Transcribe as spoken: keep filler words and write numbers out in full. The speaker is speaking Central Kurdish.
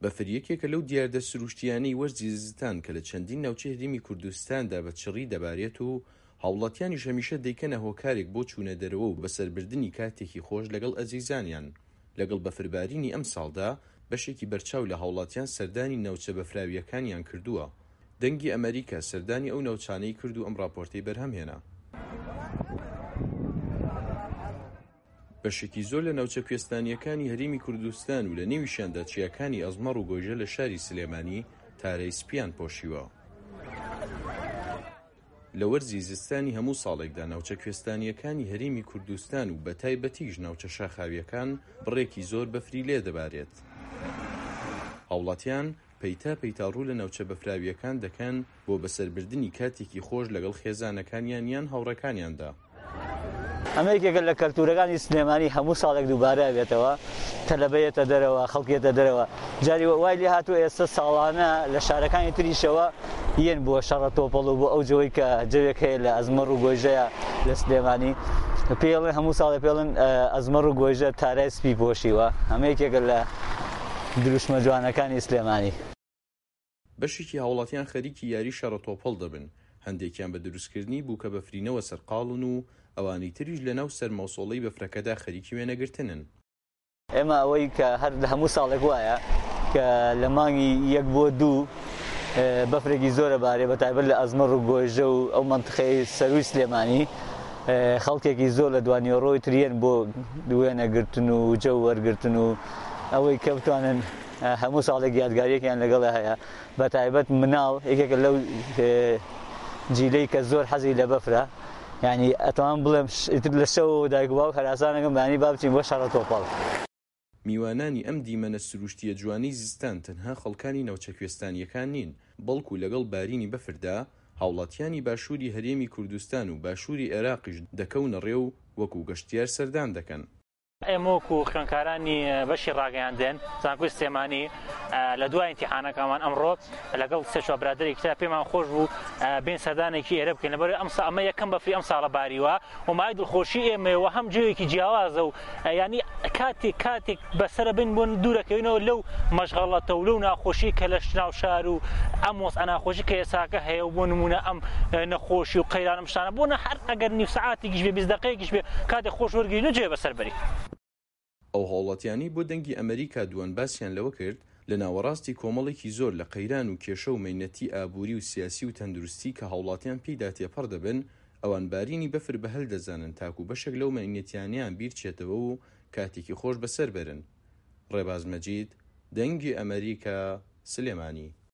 بەفر یەکێکە لەو دیاردە سروشتیانەی وەرزی زستان کە لە چەندین ناوچەی هەرێمی کوردستاندا بە چڕی دەبارێت و هاوڵاتیانیش هەمیشە دەیکەنە هۆکارێک بۆ چوونە دەرەوە و بەسەربردنی کاتێکی خۆش لەگەڵ ئەزیزانیان. لەگەڵ بەفربارینی ئەمساڵدا بەشێکی بەرچاو لە هاوڵاتیان سەردانی ناوچە بەفراوییەکانیان کردووە. دەنگی ئەمەریکا سەردانی ئەو ناوچانەی کرد و ئەم ڕاپۆرتەی بەرهەمهێنا. بەشێکی زۆر لە ناوچە کوێستانییەکانی هەرێمی کوردستان و لە نێویشیاندا چیاکانی ئەزمەڕ و گۆیژە لە شاری سلێمانی تارەی سپییان پۆشیوە. لە وەرزی زستانی هەموو ساڵێکدا ناوچە کوێستانییەکانی هەرێمی کوردستان و بەتایبەتیش ناوچە شاخاوییەکان بڕێکی زۆر بەفری لێدەبارێت. هاوڵاتیان پەیتا پەیتا ڕوو لە ناوچە بەفراوییەکان دەکەن بۆ بەسەربردنی کاتێکی خۆش لەگەڵ خێزانەکانیان یان هاوڕێکانیاندا. ئەمە یەکێکە لە کەلتورەکانی سلێمانی، هەموو ساڵێک دووبارە بێتەوە، تەلەبە یەتە دەرەوە، خەڵک یەتە دەرەوە، جاری وای لێ هاتووە ئێستا ساڵانە لە شارەکانی تریشەوە یەن بۆ شەڕە تۆپەڵ و بۆ ئەو جەوەی کە جەوێک هەیە لە ئەزمەڕ و گۆیژەیە لە سلێمانی پێڵێن، هەموو ساڵێ پێڵێن ئەزمەڕ و گۆیژە تارای سپی پۆشیوە. ئەمە یەکێکە لە دروشمە جوانەکانی سلێمانی. بەشێکی هاوڵاتیان خەریکی یاری شەڕە تۆپەڵ دەبن، هەندێکیان بە دروستکردنی بووکە بەفرینەوە سەرقاڵن و ئەوانی تریش لەناو سەرماوسۆڵەی بەفرەکەدا خەریکی وێنەگرتنن. ئێمە ئەوەی کە هەر لە هەموو ساڵێک وایە کە لە مانگی یەک بۆ دوو بەفرێکی زۆرە بارێ، بە تایبەت لە ئەزمەڕ و گۆیژە و ئەو مەنتقەی سەروی سلێمانی، خەڵکێکی زۆر لە دوانیۆڕۆی تریەن بۆ وێنەگرتن و جەو وەرگرتن و ئەوەی کە بتوانن هەموو ساڵێک یادگاریەکیان لەگەڵە هەیە. بە تایبەت مناڵ یەکێکە لەو جیلەی کە زۆر حەزی لە بەفرە، یعنی ئەتوانم بڵێم ئیتر لە شەو دایک و باوک هەراسانەکەم بەیانی با بچین بۆ شەڕە تۆپەڵ. میوانانی ئەم دیمەنە سروشتیە جوانەی زستان تەنها خەڵکانی ناوچە کوێستانیەکان نین، بەڵکو لەگەڵ بارینی بەفردا هاوڵاتیانی باشووری هەرێمی کوردستان و باشووری عێراقیش دەکەونە ڕێ و وەکو گەشتیار سەردان دەکەن. ئێمە وەکو خوێندکارانی بەشی ڕاگەیاندن زانکۆی سلێمانی لە دوای ئیمتیحانەکەمان ئەمڕۆ لەگەڵ سێ چوار برادەرێکی تر پێمان خۆش بوو بێن سەردانێکی ئێرە بکەین، لەبەر ئەم ئەمە یەکەم بەفری ئەم ساڵە باریوە و مای دڵخۆشی ئێمەیە و هەم جێیەکی جیاوازە و ینی کاتێک کاتێک بەسەرە بین بۆن دوورەکەوینەوە لەو مەشغەڵەتە و لەو ناخۆشی کە لە ناو شار و ئەم وەزعە ناخۆشی کە ئێساکە هەیە و بۆ نمونە ئەم نەخۆشی و قەیرانم شتانە بۆ نە هەر ئەگەر نیو سەعاتێکیش بێ بیست دەقەیەکیش بێ کاتێک خۆش وەرگرین و جێ بەسەر بەری. ئەو هاوڵاتیانەی بۆ دەنگی ئەمەریکا دووەن باسیان لەوە کرد لە ناوەڕاستی کۆمەڵێکی زۆر لە قەیران و کێشە و مەینەتی ئابووری و سیاسی و تەندروستی کە هاوڵاتیان پێیدا تێپەڕ دەبن، ئەوان بارینی بەفر بە هەل دەزانن تاکو بەشێک لەو مەینەتیانیان بیرچێتەوە و کاتێکی خۆش بەسەر بەرن. ڕێباز مەجید، دەنگی ئەمەریکا، سلێمانی.